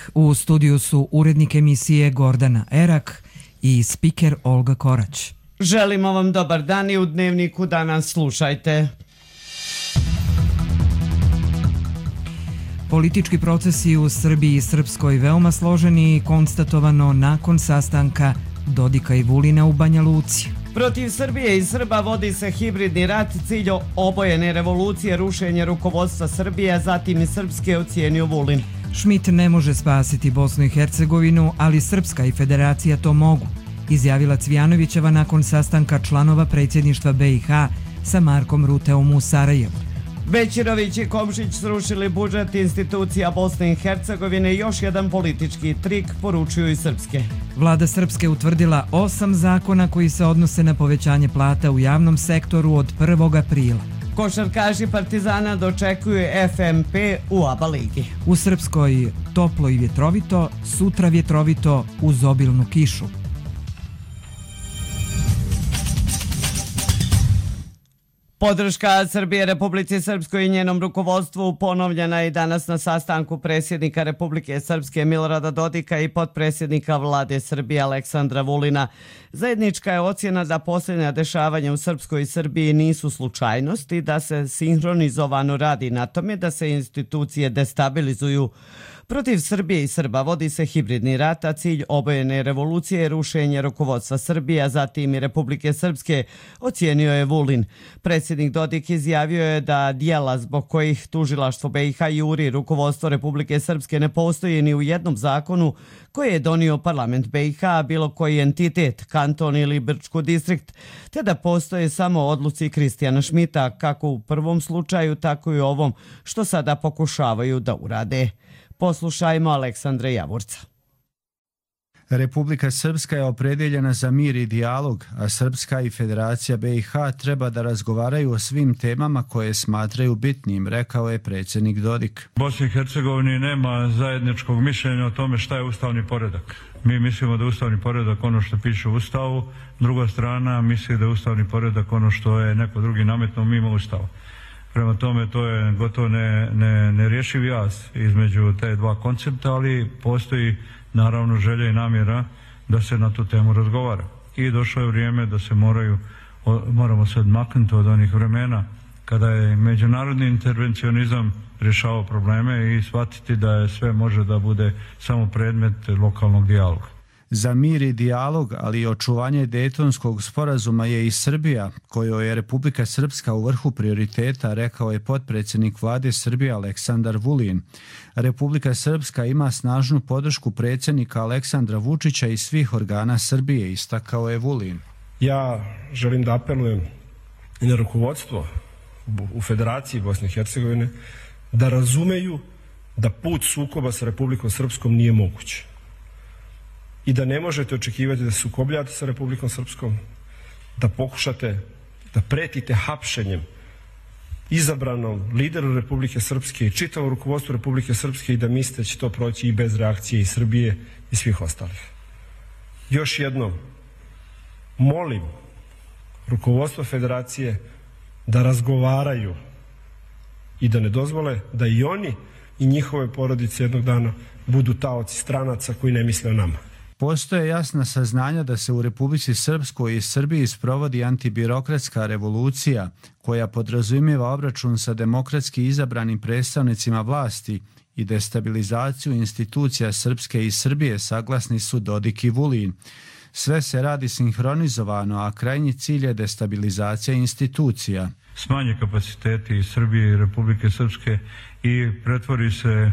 petak. U studiju su urednik emisije Gordana Erak i spiker Olga Korać. Želimo vam dobar dan i u Dnevniku danas slušajte. Politički procesi u Srbiji i Srpskoj veoma složeni i konstatovano nakon sastanka Dodika i Vulina u Banja Luci. Protiv Srbije i Srba vodi se hibridni rat, cilj obojene revolucije, rušenje rukovodstva Srbije, a zatim i Srpske, ocijenio Vulin. Schmidt ne može spasiti Bosnu i Hercegovinu, ali Srpska i Federacija to mogu, izjavila Cvijanovićeva nakon sastanka članova predsjedništva BiH sa Markom Ruteom u Sarajevu. Bećirović i Komšić srušili budžet institucija Bosne i Hercegovine, još jedan politički trik, poručuju i Srpske. Vlada Srpske utvrdila 8 zakona koji se odnose na povećanje plata u javnom sektoru od 1. aprila. Košarkaši Partizana dočekuju FMP u ABA ligi. U Srpskoj toplo i vjetrovito, sutra vjetrovito uz obilnu kišu. Podrška Srbije Republici Srpskoj i njenom rukovodstvu ponovljena je danas na sastanku predsjednika Republike Srpske Milorada Dodika i potpredsjednika Vlade Srbije Aleksandra Vulina. Zajednička je ocjena da posljednja dešavanja u Srpskoj i Srbiji nisu slučajnost i da se sinhronizovano radi na tome da se institucije destabilizuju. Protiv Srbije i Srba vodi se hibridni rat, a cilj obojene revolucije je rušenje rukovodstva Srbije, a zatim i Republike Srpske, ocijenio je Vulin. Predsjednik Dodik izjavio je da dijela zbog kojih tužilaštvo BiH juri rukovodstvo Republike Srpske ne postoji ni u jednom zakonu koji je donio parlament BiH, bilo koji entitet, kanton ili Brčko distrikt, te da postoje samo odluci Kristijana Schmidta, kako u prvom slučaju, tako i u ovom, što sada pokušavaju da urade. Poslušajmo Aleksandra Javorca. Republika Srpska je opredjeljena za mir i dijalog, a Srpska i Federacija BiH treba da razgovaraju o svim temama koje smatraju bitnim, rekao je predsjednik Dodik. Bosni i Hercegovini nema zajedničkog mišljenja o tome šta je ustavni poredak. Mi mislimo da je ustavni poredak ono što piše u Ustavu, druga strana misli da je ustavni poredak ono što je neko drugi nametnuo mimo Ustava. Prema tome, to je gotovo nerješiv jaz između te dva koncepta, ali postoji naravno želja i namjera da se na tu temu razgovara. I došlo je vrijeme da se moramo se odmaknuti od onih vremena kada je međunarodni intervencionizam rješavao probleme i shvatiti da je sve može da bude samo predmet lokalnog dijaloga. Za mir i dijalog, ali i očuvanje Dejtonskog sporazuma je i Srbija, kojoj je Republika Srpska u vrhu prioriteta, rekao je potpredsjednik Vlade Srbije Aleksandar Vulin. Republika Srpska ima snažnu podršku predsjednika Aleksandra Vučića i svih organa Srbije, istakao je Vulin. Ja želim da apelujem i na rukovodstvo u Federaciji Bosne i Hercegovine da razumeju da put sukoba sa Republikom Srpskom nije moguć. I da ne možete očekivati da se sukobljate sa Republikom Srpskom, da pokušate da pretite hapšenjem izabranom lideru Republike Srpske i čitavom rukovodstvu Republike Srpske i da mislite da će to proći i bez reakcije i Srbije i svih ostalih. Još jednom, molim rukovodstvo Federacije da razgovaraju i da ne dozvole da i oni i njihove porodice jednog dana budu taoci stranaca koji ne misle o nama. Postoje jasna saznanja da se u Republici Srpskoj i Srbiji sprovodi antibirokratska revolucija koja podrazumijeva obračun sa demokratski izabranim predstavnicima vlasti i destabilizaciju institucija Srpske i Srbije, saglasni su Dodik i Vulin. Sve se radi sinhronizovano, a krajnji cilj je destabilizacija institucija. Smanje kapaciteti Srbije i Republike Srpske i pretvori se,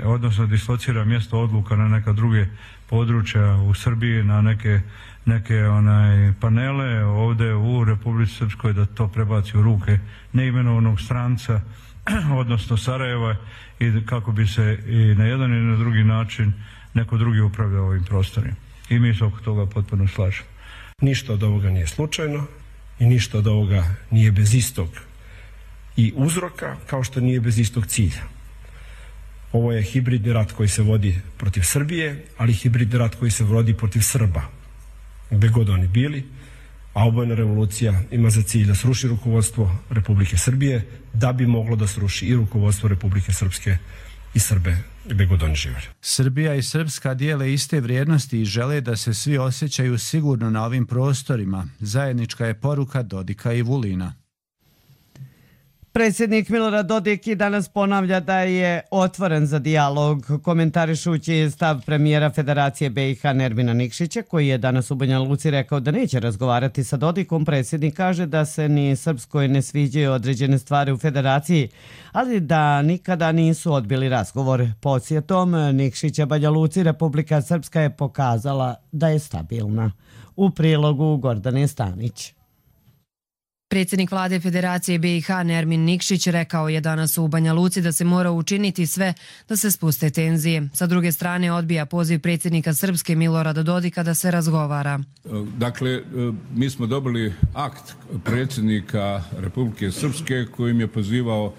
odnosno dislocira mjesto odluka na neka druge područja u Srbiji, na neke panele ovdje u Republici Srpskoj, da to prebaci u ruke neimenovanog stranca, odnosno Sarajeva, i kako bi se i na jedan i na drugi način neko drugi upravljao ovim prostorima. I mi se oko toga potpuno slažemo. Ništa od ovoga nije slučajno i ništa od ovoga nije bez istog i uzroka, kao što nije bez istog cilja. Ovo je hibridni rat koji se vodi protiv Srbije, ali hibridni rat koji se vodi protiv Srba, gde god oni bili, a obojena revolucija ima za cilj da sruši rukovodstvo Republike Srbije, da bi moglo da sruši i rukovodstvo Republike Srpske i Srbe gdje god oni živjeli. Srbija i Srpska dijele iste vrijednosti i žele da se svi osjećaju sigurno na ovim prostorima. Zajednička je poruka Dodika i Vulina. Predsjednik Milorad Dodik i danas ponavlja da je otvoren za dijalog, komentarišući stav premijera Federacije BiH Nermina Nikšića, koji je danas u Banja Luci rekao da neće razgovarati sa Dodikom. Predsjednik kaže da se ni Srpskoj ne sviđaju određene stvari u Federaciji, ali da nikada nisu odbili razgovor. Podsjetom Nikšića Banja Luci, Republika Srpska je pokazala da je stabilna. U prilogu Gordane Stanić. Predsjednik vlade Federacije BiH Nermin Nikšić rekao je danas u Banja Luci da se mora učiniti sve da se spuste tenzije. Sa druge strane odbija poziv predsjednika Srpske Milorada Dodika da se razgovara. Dakle, mi smo dobili akt predsjednika Republike Srpske kojim je pozivao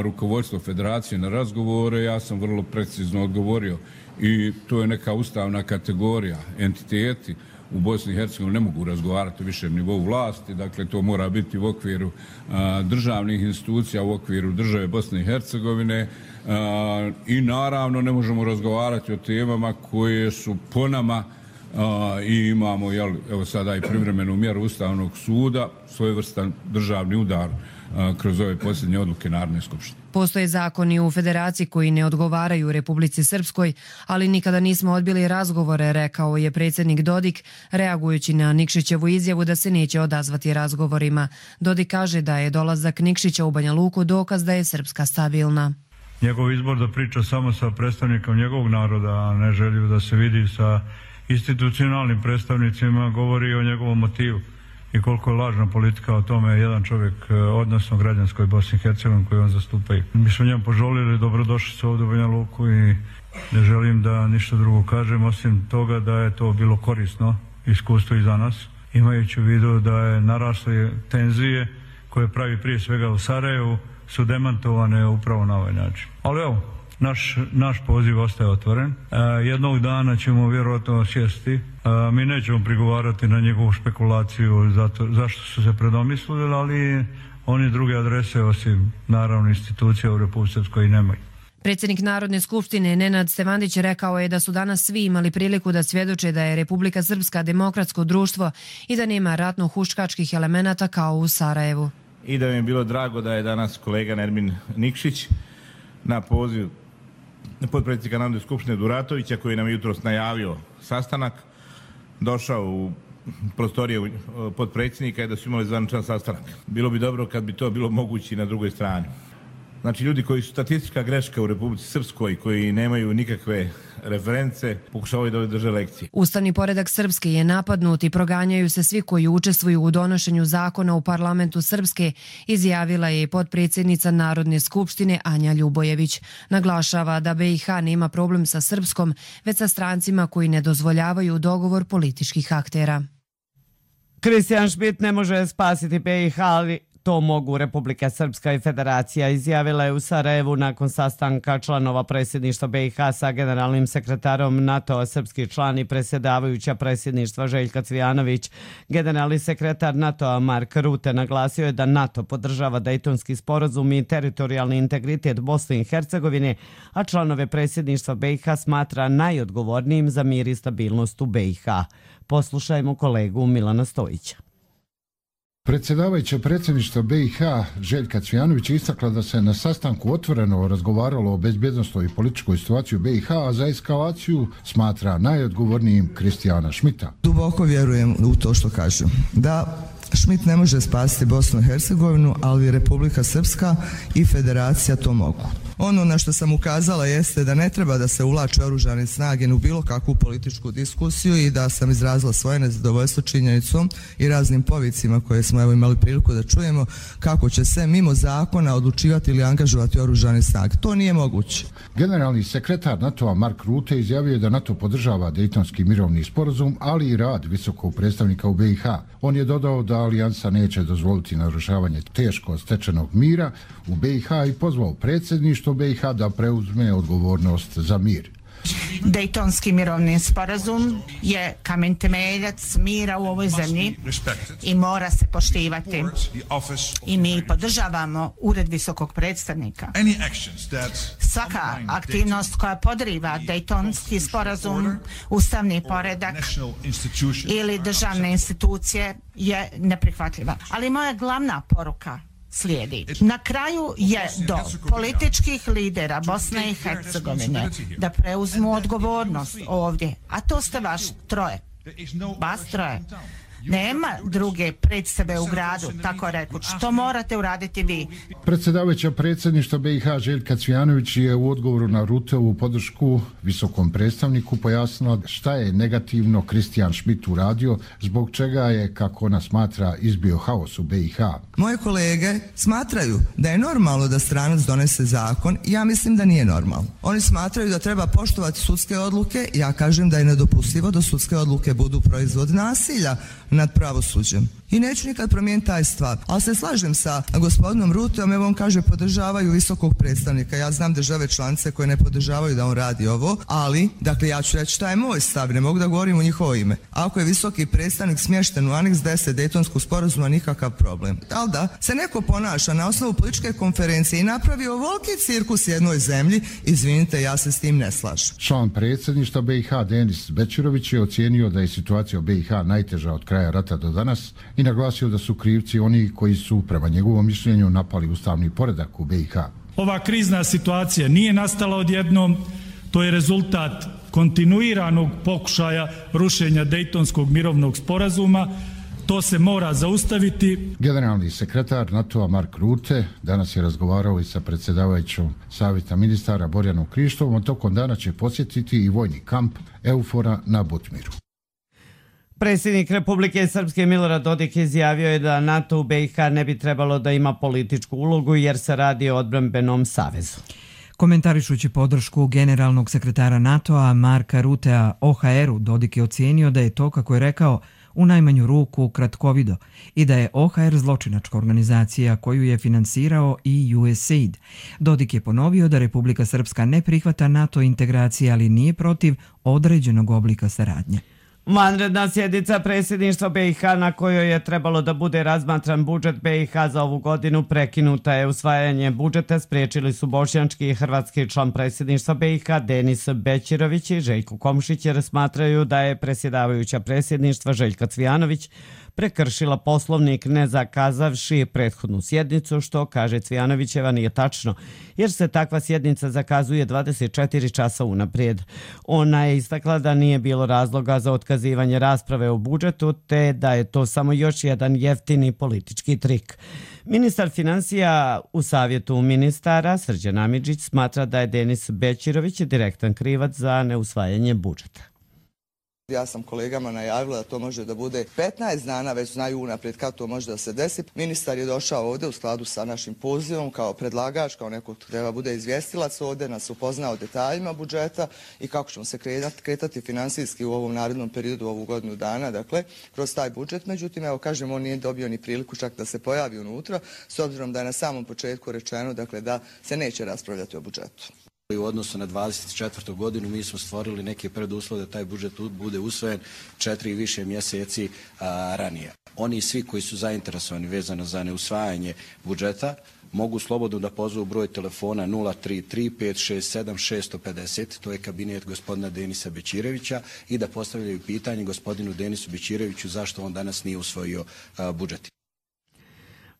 rukovodstvo Federacije na razgovore. Ja sam vrlo precizno odgovorio i to je neka ustavna kategorija. Entiteti u Bosni i Hercegovini ne mogu razgovarati o višem nivou vlasti, dakle to mora biti u okviru državnih institucija, u okviru države Bosne i Hercegovine i naravno ne možemo razgovarati o temama koje su po nama i imamo evo sada i privremenu mjeru Ustavnog suda, svojevrstan državni udar kroz ove posljednje odluke Narodne skupštine. Postoje zakoni u Federaciji koji ne odgovaraju Republici Srpskoj, ali nikada nismo odbili razgovore, rekao je predsjednik Dodik, reagujući na Nikšićevu izjavu da se neće odazvati razgovorima. Dodik kaže da je dolazak Nikšića u Banja Luku dokaz da je Srpska stabilna. Njegov izbor da priča samo sa predstavnikom njegovog naroda, a ne želju da se vidi sa institucionalnim predstavnicima, govori o njegovom motivu. I koliko je lažna politika o tome jedan čovjek, odnosno građanskoj Bosni i Hercegovini koji on zastupaju. Mi smo njemu poželili dobrodošlicu ovdje u Banja Luku i ne želim da ništa drugo kažem, osim toga da je to bilo korisno iskustvo i za nas, imajući u vidu da je narasle tenzije koje pravi prije svega u Sarajevu su demantovane upravo na ovaj način. Ali evo, naš poziv ostaje otvoren. Jednog dana ćemo vjerojatno sjesti. Mi nećemo prigovarati na njegovu špekulaciju zašto su se predomislili, ali oni druge adrese osim naravno institucija u Republici Srpskoj nemaju. Predsjednik Narodne skupštine Nenad Stevandić rekao je da su danas svi imali priliku da svjedoče da je Republika Srpska demokratsko društvo i da nema ratno-huškačkih elemenata kao u Sarajevu. I da mi je bilo drago da je danas kolega Nermin Nikšić na poziv potpredsjednika Narodne skupštine Duratovića, koji nam je jutros najavio sastanak, došao u prostorije potpredsjednika i da su imali zvaničan sastanak. Bilo bi dobro kad bi to bilo moguće i na drugoj strani. Znači, ljudi koji su statistička greška u Republici Srpskoj, koji nemaju nikakve reference, pokušavaju da drže lekcije. Ustavni poredak Srpske je napadnut i proganjaju se svi koji učestvuju u donošenju zakona u parlamentu Srpske, izjavila je potpredsjednica Narodne skupštine Anja Ljubojević. Naglašava da BiH nema problem sa Srpskom, već sa strancima koji ne dozvoljavaju dogovor političkih aktera. Kristijan Šmit ne može spasiti BiH, ali to mogu Republika Srpska i Federacija, izjavila je u Sarajevu nakon sastanka članova predsjedništva BiH sa generalnim sekretarom NATO-a, srpski član i predsjedavajuća predsjedništva Željka Cvijanović. Generalni sekretar NATO-a Mark Rutte naglasio je da NATO podržava Dejtonski sporazum i teritorijalni integritet Bosne i Hercegovine, a članove predsjedništva BiH smatra najodgovornijim za mir i stabilnost u BiH. Poslušajmo kolegu Milana Stojića. Predsjedavajuća predsjedništva BiH Željka Cvijanović istakla da se na sastanku otvoreno razgovaralo o bezbjednosnoj i političkoj situaciji u BiH, a za eskalaciju smatra najodgovornijim Kristijana Šmita. Duboko vjerujem u to što kažu. Da Šmit ne može spasiti Bosnu i Hercegovinu, ali Republika Srpska i Federacija to mogu. Ono na što sam ukazala jeste da ne treba da se uvlače oružane snage u bilo kakvu političku diskusiju i da sam izrazila svoje nezadovoljstvo činjenicom i raznim povicima koje smo imali priliku da čujemo kako će se mimo zakona odlučivati ili angažovati oružane snage. To nije moguće. Generalni sekretar NATO-a Mark Rutte izjavio je da NATO podržava Dejtonski mirovni sporazum, ali i rad visokog predstavnika u BiH. On je dodao da alijansa neće dozvoliti narušavanje teško stečenog mira u BiH i pozvao predsjedništvo BiH da preuzme odgovornost za mir. Dejtonski mirovni sporazum je kamen temeljac mira u ovoj zemlji i mora se poštivati. I mi podržavamo Ured visokog predstavnika. Svaka aktivnost koja podriva Dejtonski sporazum, ustavni poredak ili državne institucije je neprihvatljiva. Ali moja glavna poruka slijedi. Na kraju je do političkih lidera Bosne i Hercegovine da preuzmu odgovornost ovdje, a to ste vaš troje. Vas troje. Nema druge predstave u gradu, tako rekuć. To morate uraditi vi. Predsjedavajuća predsjedništva BiH Željka Cvijanović je u odgovoru na Ruteovu podršku visokom predstavniku pojasnila šta je negativno Kristijan Schmidt uradio, zbog čega je, kako ona smatra, izbio haos u BiH. Moje kolege smatraju da je normalno da stranac donese zakon, ja mislim da nije normalno. Oni smatraju da treba poštovati sudske odluke, ja kažem da je nedopustivo da sudske odluke budu proizvod nasilja nad pravosuđem. I neću nikad promijeniti taj stvar. Ali se slažem sa gospodinom Ruteom, evo on kaže podržavaju visokog predstavnika. Ja znam države članice koje ne podržavaju da on radi ovo, ali, dakle ja ću reći šta je moj stav, ne mogu da govorim u njihovo ime. Ako je visoki predstavnik smješten u aneks 10 Dejtonskog sporazuma, nikakav problem. Ali da se neko ponaša na osnovu političke konferencije i napravi ovoliki cirkus jednoj zemlji, izvinite, ja se s tim ne slažem. Član predsjedništva BiH Denis Bećirović je ocijenio da je situacija u BiH najteža od kraja rata do danas i naglasio da su krivci oni koji su, prema njegovom mišljenju, napali ustavni poredak u BiH. Ova krizna situacija nije nastala odjednom, to je rezultat kontinuiranog pokušaja rušenja Dejtonskog mirovnog sporazuma. To se mora zaustaviti. Generalni sekretar NATO-a Mark Rutte danas je razgovarao i sa predsjedavajućom Savjeta ministara Borjanom Krištovom, a tokom dana će posjetiti i vojni kamp Eufora na Butmiru. Predsjednik Republike Srpske Milorad Dodik izjavio je da NATO u BiH ne bi trebalo da ima političku ulogu jer se radi o odbrambenom savezu. Komentarišući podršku generalnog sekretara NATO-a Marka Rutea OHR-u, Dodik je ocijenio da je to, kako je rekao, u najmanju ruku kratkovido i da je OHR zločinačka organizacija koju je finansirao i USAID. Dodik je ponovio da Republika Srpska ne prihvata NATO integracije, ali nije protiv određenog oblika saradnje. Vanredna sjednica predsjedništva BiH na kojoj je trebalo da bude razmatran budžet BiH za ovu godinu prekinuta je. Usvajanje budžeta spriječili su bošnjački i hrvatski član predsjedništva BiH Denis Bećirović i Željko Komšić jer smatraju da je predsjedavajuća predsjedništva Željka Cvijanović prekršila poslovnik ne zakazavši prethodnu sjednicu, što, kaže Cvijanovićeva, nije tačno, jer se takva sjednica zakazuje 24 časa unaprijed. Ona je istakla da nije bilo razloga za otkazivanje rasprave o budžetu, te da je to samo još jedan jeftini politički trik. Ministar financija u savjetu ministara Srđan Amidžić smatra da je Denis Bećirović direktan krivac za neusvajanje budžeta. Ja sam kolegama najavila da to može da bude 15 dana, već znaju unaprijed kad to može da se desi. Ministar je došao ovdje u skladu sa našim pozivom kao predlagač, kao neko treba bude izvjestilac ovdje, nas upoznao detaljima budžeta i kako ćemo se kretati finansijski u ovom narednom periodu, ovu godinu dana, dakle, kroz taj budžet. Međutim, evo kažem, on nije dobio ni priliku čak da se pojavi unutra, s obzirom da je na samom početku rečeno, dakle, da se neće raspravljati o budžetu. U odnosu na 24. godinu mi smo stvorili neke preduslove da taj budžet bude usvojen 4 i više mjeseci ranije. Oni svi koji su zainteresovani vezano za neusvajanje budžeta mogu slobodno da pozvu broj telefona 033 567 650, to je kabinet gospodina Denisa Bećirevića, i da postavljaju pitanje gospodinu Denisu Bećireviću zašto on danas nije usvojio budžet.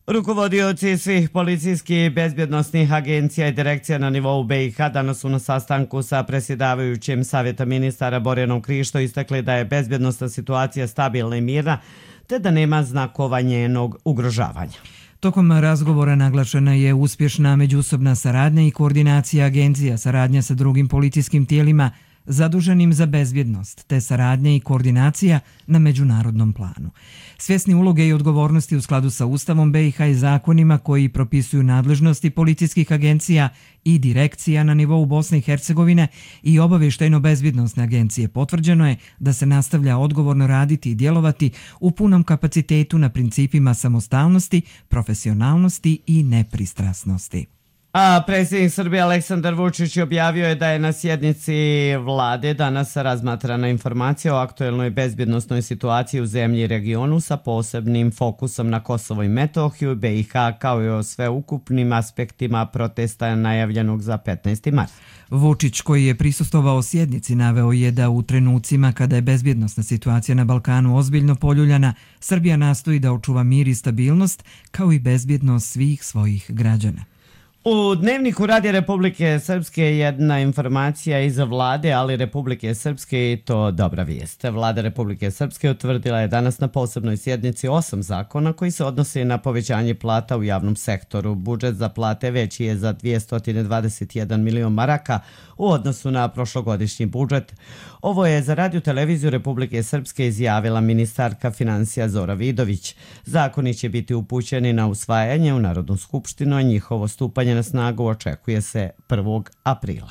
Rukovodioci svih policijskih i bezbjednostnih agencija i direkcija na nivou BiH danas su na sastanku sa predsjedavajućim Savjeta ministara Borjanom Krišto istakli da je bezbjednostna situacija stabilna i mirna, te da nema znakova njenog ugrožavanja. Tokom razgovora naglašena je uspješna međusobna saradnja i koordinacija agencija, saradnja sa drugim policijskim tijelima zaduženim za bezbjednost, te saradnja i koordinacija na međunarodnom planu. Svjesni uloge i odgovornosti u skladu sa Ustavom BiH i zakonima koji propisuju nadležnosti policijskih agencija i direkcija na nivou Bosne i Hercegovine i obavještajno-bezbjednosne agencije, potvrđeno je da se nastavlja odgovorno raditi i djelovati u punom kapacitetu na principima samostalnosti, profesionalnosti i nepristrasnosti. A predsjednik Srbije Aleksandar Vučić objavio je da je na sjednici vlade danas razmatrana informacija o aktuelnoj bezbjednosnoj situaciji u zemlji i regionu sa posebnim fokusom na Kosovo i Metohiju, BiH, kao i o sveukupnim aspektima protesta najavljenog za 15. mart. Vučić, koji je prisustvovao sjednici, naveo je da u trenucima kada je bezbjednosna situacija na Balkanu ozbiljno poljuljana, Srbija nastoji da očuva mir i stabilnost, kao i bezbjednost svih svojih građana. U Dnevniku Radija Republike Srpske jedna informacija iz vlade, ali Republike Srpske, i to dobra vijest. Vlada Republike Srpske utvrdila je danas na posebnoj sjednici 8 zakona koji se odnose na povećanje plata u javnom sektoru. Budžet za plate veći je za 221 milion maraka u odnosu na prošlogodišnji budžet. Ovo je za Radio televiziju Republike Srpske izjavila ministarka financija Zora Vidović. Zakoni će biti upućeni na usvajanje u Narodnu skupštinu, a njihovo stupanje na snagu očekuje se 1. aprila.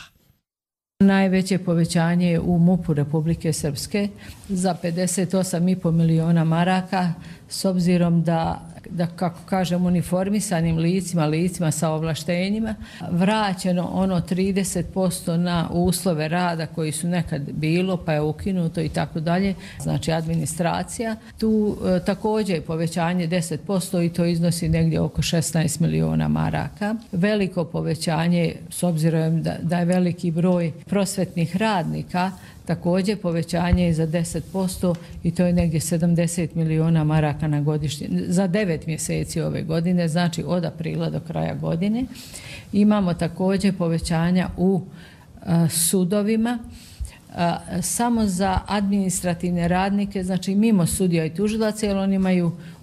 Najveće povećanje je u MUP-u Republike Srpske za 58,5 miliona maraka, s obzirom da kako kažem, uniformisanim licima sa ovlaštenjima, vraćeno ono 30% na uslove rada koji su nekad bilo, pa je ukinuto i tako dalje, znači administracija. Tu također je povećanje 10% i to iznosi negdje oko 16 miliona maraka. Veliko povećanje, s obzirom da je veliki broj prosvetnih radnika, također povećanje je za 10% i to je negdje 70 miliona maraka na godišnje, za 9 mjeseci ove godine, znači od aprila do kraja godine. Imamo također povećanja u sudovima, samo za administrativne radnike, znači mimo sudija i tužilaca, jer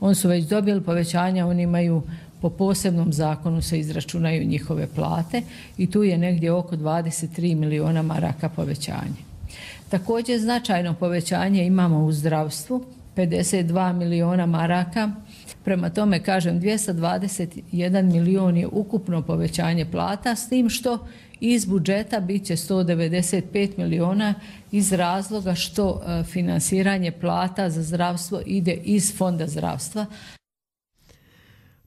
oni su već dobili povećanja, oni imaju po posebnom zakonu se izračunaju njihove plate i tu je negdje oko 23 miliona maraka povećanje. Također značajno povećanje imamo u zdravstvu, 52 miliona maraka. Prema tome, kažem, 221 milion je ukupno povećanje plata, s tim što iz budžeta bit će 195 miliona iz razloga što finansiranje plata za zdravstvo ide iz Fonda zdravstva.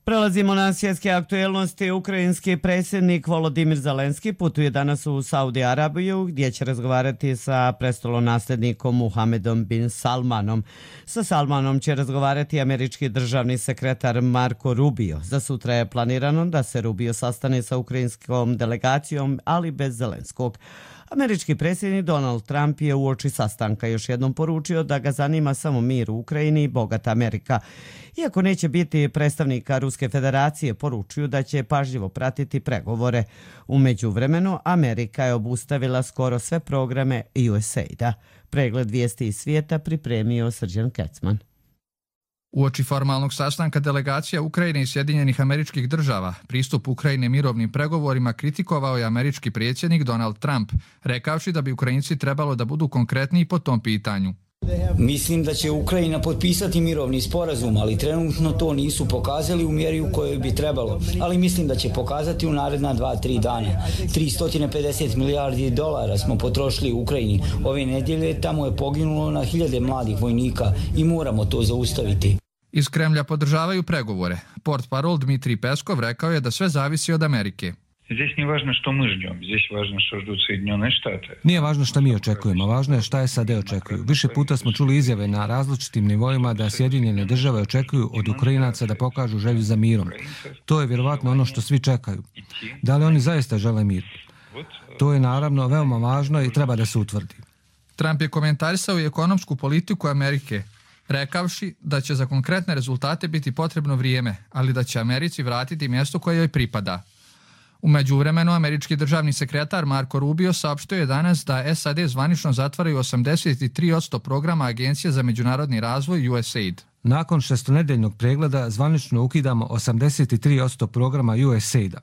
Prelazimo na svjetske aktuelnosti. Ukrajinski predsjednik Volodimir Zelenski putuje danas u Saudi Arabiju, gdje će razgovarati sa prestolonaslednikom Muhamedom bin Salmanom. Sa Salmanom će razgovarati američki državni sekretar Marco Rubio. Za sutra je planirano da se Rubio sastane sa ukrajinskom delegacijom, ali bez Zelenskog. Američki predsjednik Donald Trump je uoči sastanka još jednom poručio da ga zanima samo mir u Ukrajini i bogata Amerika. Iako neće biti predstavnika Ruske federacije, poručuju da će pažljivo pratiti pregovore. U međuvremenu, Amerika je obustavila skoro sve programe USAID-a. Pregled vijesti iz svijeta pripremio Srđan Kecman. Uoči formalnog sastanka delegacija Ukrajine i Sjedinjenih Američkih Država, pristup Ukrajine mirovnim pregovorima kritikovao je američki predsjednik Donald Trump, rekavši da bi Ukrajinci trebalo da budu konkretniji po tom pitanju. Mislim da će Ukrajina potpisati mirovni sporazum, ali trenutno to nisu pokazali u mjeri u kojoj bi trebalo. Ali mislim da će pokazati u naredna 2-3 dana. 350 milijardi dolara smo potrošili u Ukrajini. Ove nedjelje tamo je poginulo na hiljade mladih vojnika i moramo to zaustaviti. Iz Kremlja podržavaju pregovore. Portparol Dmitrij Peskov rekao je da sve zavisi od Amerike. Nije važno šta mi očekujemo, važno je šta SAD očekuju. Više puta smo čuli izjave na različitim nivoima da Sjedinjene države očekuju od Ukrajinaca da pokažu želju za mirom. To je vjerovatno ono što svi čekaju. Da li oni zaista žele mir? To je naravno veoma važno i treba da se utvrdi. Trump je komentarisao i ekonomsku politiku Amerike, rekavši da će za konkretne rezultate biti potrebno vrijeme, ali da će Americi vratiti mjesto koje joj pripada. U međuvremenu, američki državni sekretar Marco Rubio saopštio je danas da SAD zvanično zatvaraju 83% programa Agencije za međunarodni razvoj USAID. Nakon šestonedeljnog pregleda zvanično ukidamo 83% programa USAID-a.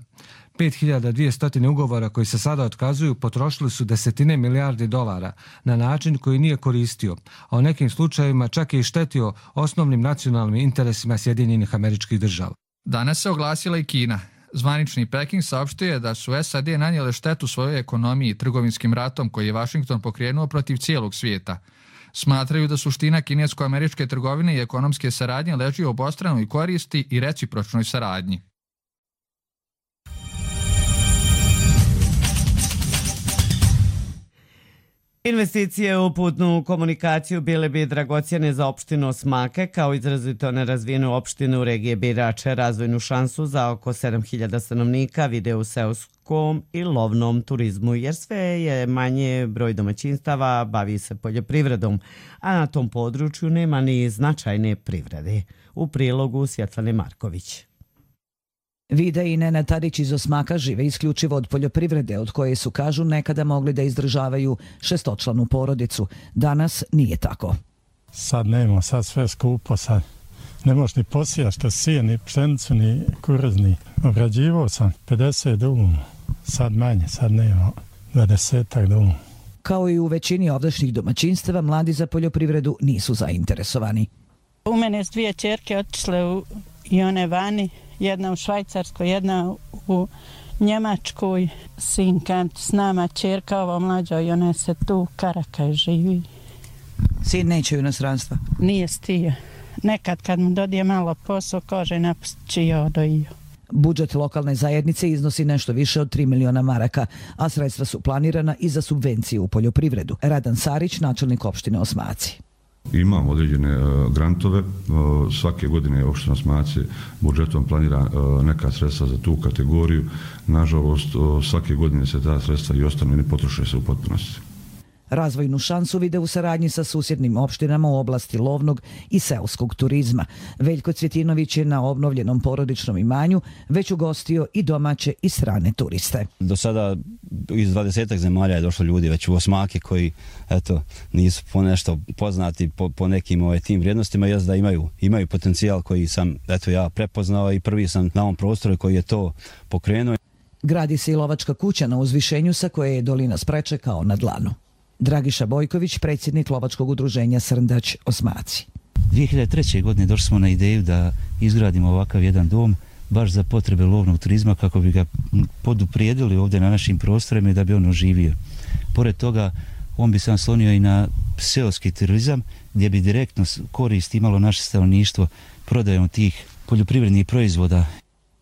5200 ugovora koji se sada otkazuju potrošili su desetine milijardi dolara na način koji nije koristio, a u nekim slučajevima čak je i štetio osnovnim nacionalnim interesima Sjedinjenih Američkih Država. Danas se oglasila i Kina. Zvanični Peking saopštio je da su SAD nanijele štetu svojoj ekonomiji trgovinskim ratom koji je Washington pokrenuo protiv cijelog svijeta. Smatraju da suština kinesko-američke trgovine i ekonomske saradnje leži u obostranoj koristi i recipročnoj saradnji. Investicije u putnu komunikaciju bile bi dragocjene za opštinu Osmake, kao izrazito nerazvijenu opštinu u regije Birače. Razvojnu šansu za oko 7000 stanovnika vide u seoskom i lovnom turizmu, jer sve je manje broj domaćinstava bavi se poljoprivredom, a na tom području nema ni značajne privrede. U prilogu Svjetlane Marković. Vida i Nena Tadić iz Osmaka žive isključivo od poljoprivrede, od koje su, kažu, nekada mogli da izdržavaju 6-članu porodicu. Danas nije tako. Sad nema, sad sve skupo, sad ne možeš ni posijati što sije, ni pšenicu, ni kukuruz, ni. Obrađivao sam 50 duma, sad manje, sad nema 20 duma. Kao i u većini ovdašnjih domaćinstava, mladi za poljoprivredu nisu zainteresovani. U mene su 2 ćerke otišle i one vani. Jedna u Švajcarskoj, jedna u Njemačkoj. Sinka s nama, ćerka ova mlađa, i ona se tu Karakaj živi. Sin neće u inostranstva? Nije stio. Nekad kad mu dodije malo posao, kaže napustit će ja odojio. Budžet lokalne zajednice iznosi nešto više od 3 miliona maraka, a sredstva su planirana i za subvencije u poljoprivredu. Radan Sarić, načelnik opštine Osmaci. Imamo određene grantove, svake godine opština Osmaci budžetom planira neka sredstva za tu kategoriju. Nažalost, svake godine se ta sredstva i ostanu i ne potroše se u potpunosti. Razvojnu šansu vide u saradnji sa susjednim opštinama u oblasti lovnog i seoskog turizma. Veljko Cvjetinović je na obnovljenom porodičnom imanju već ugostio i domaće i strane turiste. Do sada iz 20 zemalja je došlo ljudi već u Osmake koji nisu po nešto poznati po nekim tim vrijednostima, jest da imaju potencijal koji sam ja prepoznao i prvi sam na ovom prostoru koji je to pokrenuo. Gradi se i lovačka kuća na uzvišenju sa koje je dolina Spreče kao na dlanu. Dragiša Bojković, predsjednik lovačkog udruženja Srndać Osmaci. 2003. godine došli smo na ideju da izgradimo ovakav jedan dom baš za potrebe lovnog turizma kako bi ga poduprijedili ovdje na našim prostorima i da bi on oživio. Pored toga, on bi se naslonio i na seoski turizam gdje bi direktno korist imalo naše stanovništvo prodajom tih poljoprivrednih proizvoda.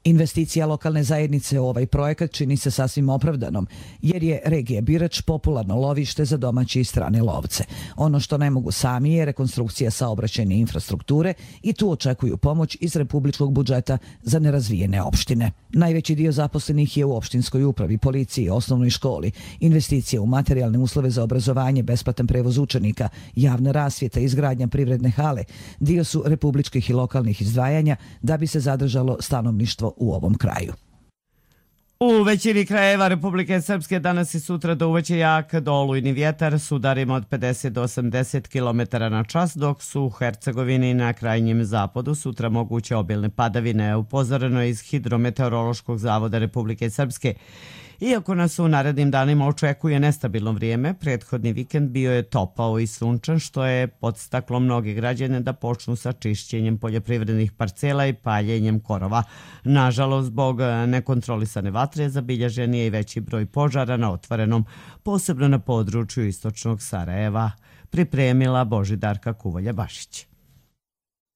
Investicija lokalne zajednice u ovaj projekat čini se sasvim opravdanom, jer je regija Birač popularno lovište za domaće i strane lovce. Ono što ne mogu sami je rekonstrukcija saobraćajne infrastrukture i tu očekuju pomoć iz republičkog budžeta za nerazvijene opštine. Najveći dio zaposlenih je u opštinskoj upravi, policiji, osnovnoj školi. Investicije u materijalne uslove za obrazovanje, besplatan prevoz učenika, javna rasvjeta i izgradnja privredne hale dio su republičkih i lokalnih izdvajanja da bi se zadržalo stanovništvo u ovom kraju. U većini krajeva Republike Srpske danas i sutra do uveće jak olujni vjetar s udarima od 50 do 80 km na čas, dok su u Hercegovini na krajnjem zapadu sutra moguće obilne padavine. Upozoreno je iz Hidrometeorološkog zavoda Republike Srpske. Iako nas u narednim danima očekuje nestabilno vrijeme, prethodni vikend bio je topao i sunčan, što je podstaklo mnoge građane da počnu sa čišćenjem poljoprivrednih parcela i paljenjem korova. Nažalost, zbog nekontrolisane vatre zabilježen je i veći broj požara na otvorenom, posebno na području istočnog Sarajeva, pripremila Božidarka Kuvolja-Bašić.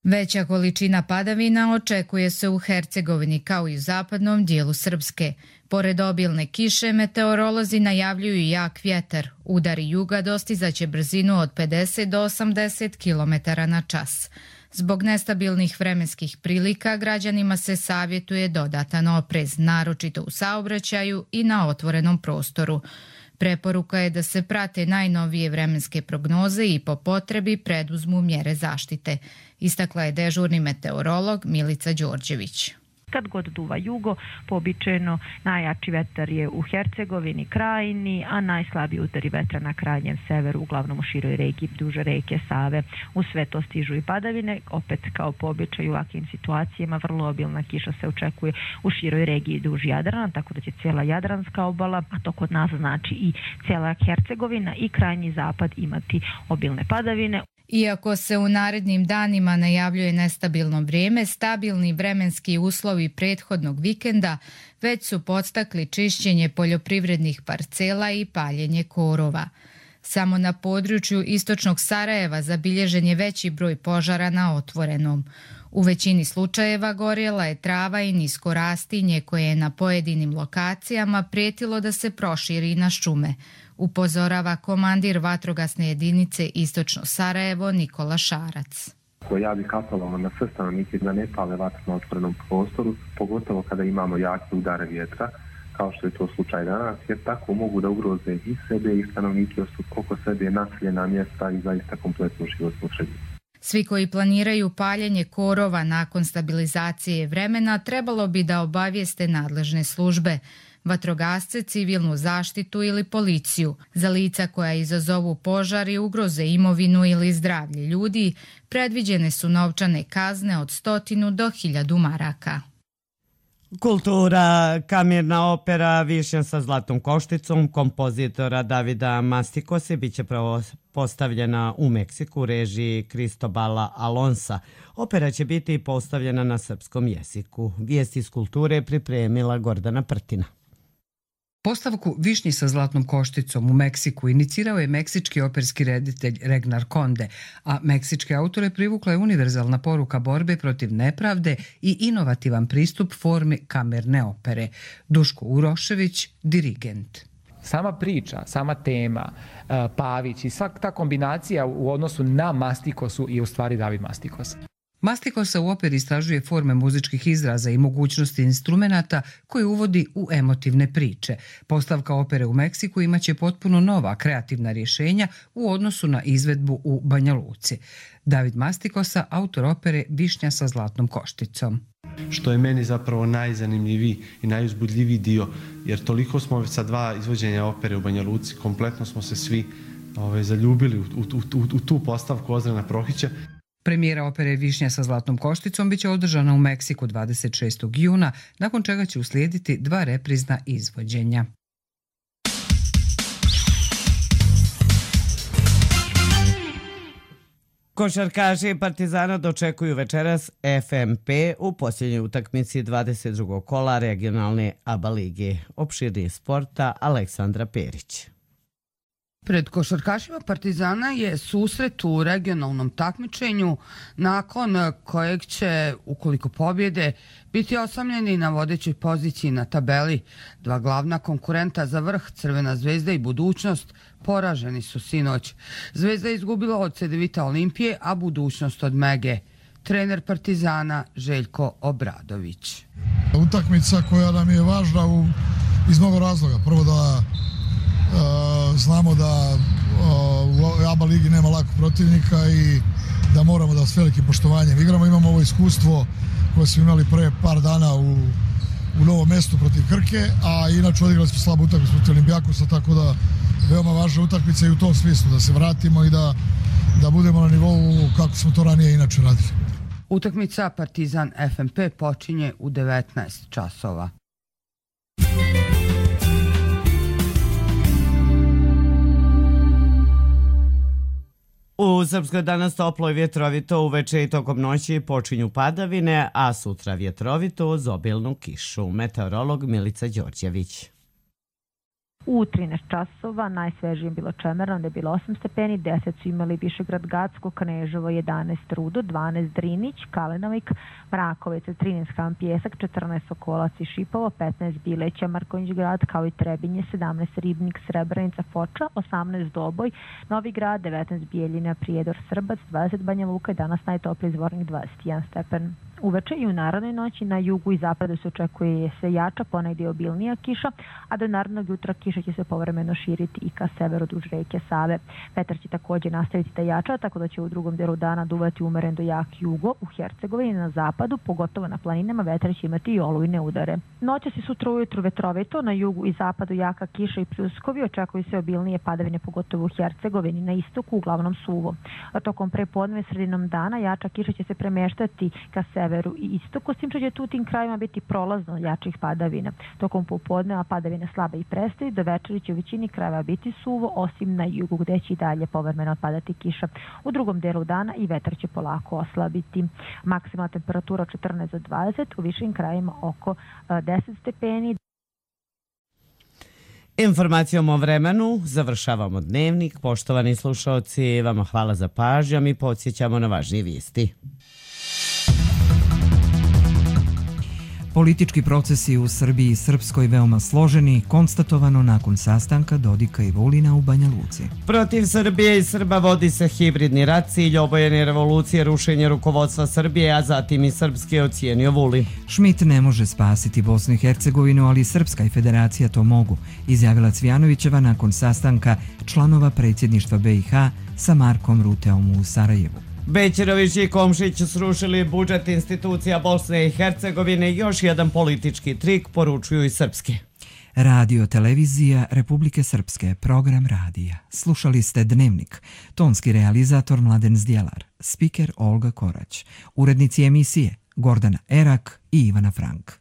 Veća količina padavina očekuje se u Hercegovini kao i u zapadnom dijelu Srpske. Pored obilne kiše, meteorolozi najavljuju jak vjetar. Udari juga dostizaće brzinu od 50 do 80 km na čas. Zbog nestabilnih vremenskih prilika građanima se savjetuje dodatan oprez, naročito u saobraćaju i na otvorenom prostoru. Preporuka je da se prate najnovije vremenske prognoze i po potrebi preduzmu mjere zaštite, istakla je dežurni meteorolog Milica Đorđević. Kad god duva jugo, poobičajeno najjači vetar je u Hercegovini, Krajini, a najslabiji udari vetra na krajnjem severu, uglavnom u široj regiji duže reke Save. U sve to stižu i padavine, opet kao po običaju u ovakvim situacijama vrlo obilna kiša se očekuje u široj regiji duž Jadrana, tako da će cijela Jadranska obala, a to kod nas znači i cijela Hercegovina i krajnji zapad imati obilne padavine. Iako se u narednim danima najavljuje nestabilno vrijeme, stabilni vremenski uslovi prethodnog vikenda već su podstakli čišćenje poljoprivrednih parcela i paljenje korova. Samo na području istočnog Sarajeva zabilježen je veći broj požara na otvorenom. U većini slučajeva gorjela je trava i nisko rastinje koje je na pojedinim lokacijama prijetilo da se proširi na šume. upozorava komandir vatrogasne jedinice Istočno Sarajevo Nikola Šarac. Ja bih apelovao na sve stanovnike da ne pale vatru na otvorenom prostoru, pogotovo kada imamo jake udare vjetra, kao što je to slučaj danas, jer tako mogu da ugroze i sebe i stanovnike oko sebe, naseljena mjesta i zaista kompletnu životnu sredinu. Svi koji planiraju paljenje korova nakon stabilizacije vremena trebalo bi da obavijeste nadležne službe, vatrogasce, civilnu zaštitu ili policiju. Za lica koja izazovu požar i ugroze imovinu ili zdravlje ljudi, predviđene su novčane kazne od 100 do 1000 maraka. Kultura, kamerna opera Višnja sa zlatnom košticom kompozitora Davida Mastikose biće postavljena u Meksiku u režiji Cristobala Alonsa. Opera će biti postavljena na srpskom jeziku. Vijesti iz kulture pripremila Gordana Prtina. Postavku Višnji sa zlatnom košticom u Meksiku inicirao je meksički operski reditelj Regnar Conde, a meksičke autore privukla je univerzalna poruka borbe protiv nepravde i inovativan pristup formi kamerne opere. Duško Urošević, dirigent. Sama priča, sama tema, Pavić i svaka ta kombinacija u odnosu na Mastikosu je u stvari David Mastikos. Mastikosa u operi istražuje forme muzičkih izraza i mogućnosti instrumenata koje uvodi u emotivne priče. Postavka opere u Meksiku imaće potpuno nova kreativna rješenja u odnosu na izvedbu u Banja Luci. David Mastikosa, autor opere Višnja sa zlatnom košticom. Što je meni zapravo najzanimljiviji i najuzbudljiviji dio, jer toliko smo sa 2 izvođenja opere u Banja Luci, kompletno smo se svi zaljubili u tu postavku Ozrena Prohića. Premijera opere Višnja sa zlatnom košticom biće održana u Meksiku 26. juna, nakon čega će uslijediti 2 reprizna izvođenja. Košarkaši Partizana dočekuju večeras FNP u posljednjoj utakmici 22. kola regionalne ABA lige. Opširnije sporta Aleksandra Perić. Pred košarkašima Partizana je susret u regionalnom takmičenju nakon kojeg će, ukoliko pobjede, biti osamljeni na vodećoj poziciji na tabeli. 2 glavna konkurenta za vrh, Crvena zvezda i Budućnost, poraženi su sinoć. Zvezda je izgubila od Cedevita Olimpije, a Budućnost od Mege. Trener Partizana Željko Obradović. Utakmica koja nam je važna iz mnogo razloga. Prvo da znamo da u ABA ligi nema lakog protivnika i da moramo da s velikim poštovanjem igramo. Imamo ovo iskustvo koje smo imali pre par dana u Novom Mestu protiv Krke, a inače odigrali smo slabu utakmicu protiv Olimpijakosa, tako da veoma važna utakmica i u tom smislu da se vratimo i da budemo na nivou kako smo to ranije inače radili. Utakmica Partizan FNP počinje u 19 časova. U Srpskoj danas toplo i vjetrovito, uveče i tokom noći počinju padavine, a sutra vjetrovito uz obilnu kišu. Meteorolog Milica Đorđević. U 13 časova najsvežije je bilo Čemerno, da je bilo 8 stepeni, 10 su imali Višegrad Gacko, Kneževo 11 Rudo, 12 Drinić, Kalenovik, Mrakovec 13 Ham Pjesak, 14 Sokolac i Šipovo, 15 Bileća, Marković Grad, kao i Trebinje, 17 Ribnik, Srebrenica, Foča, 18 Doboj, Novi Grad, 19 Bijeljina, Prijedor, Srbac, 20 Banja Luka i danas najtopliji Zvornik 21 stepen. Uveče i u narodnoj noći na jugu i zapadu se očekuje se jača, ponegdje obilnija kiša, a do narodnog jutra kiša će se povremeno širiti i ka severu duž reke Save. Vetar će također nastaviti da jača, tako da će u drugom delu dana duvati umeren do jak jugo u Hercegovini na zapadu, pogotovo na planinama vetar će imati i olujne udare. Noćas i sutra ujutru vetrovito, na jugu i zapadu jaka kiša i pljuskovi, očekuju se obilnije padavine pogotovo u Hercegovini, na istoku uglavnom suvo. A tokom prepodne sredinom dana jača kiša će se premeštati ka severu i istoku, s tim što će tu tim krajima biti prolazno jačih padavina. Tokom popodneva padavine slabe i prestaju, do večeri će u većini krajeva biti suvo, osim na jugu gdje će i dalje povremeno padati kiša. U drugom delu dana i vetar će polako oslabiti. Maksimalna temperatura 14 do 20, u višim krajima oko 10 stepeni. Informacijom o vremenu završavamo dnevnik. Poštovani slušalci, vama hvala za pažnju, mi podsjećamo na važnije vijesti. Politički procesi u Srbiji i Srpskoj veoma složeni, konstatovano nakon sastanka Dodika i Vulina u Banja Luci. Protiv Srbije i Srba vodi se hibridni rat, cilj obojene revolucije, rušenje rukovodstva Srbije, a zatim i srpski je ocijenio Vulin. Schmidt ne može spasiti Bosnu i Hercegovinu, ali Srpska i Federacija to mogu, izjavila Cvijanovićeva nakon sastanka članova predsjedništva BiH sa Markom Ruteom u Sarajevu. Bećirović i Komšić srušili budžet institucija Bosne i Hercegovine, još jedan politički trik, poručuju i srpske. Radio televizija Republike Srpske, program radija. Slušali ste Dnevnik, tonski realizator Mladen Zdjelar, spiker Olga Korać, urednici emisije Gordana Erak i Ivana Frank.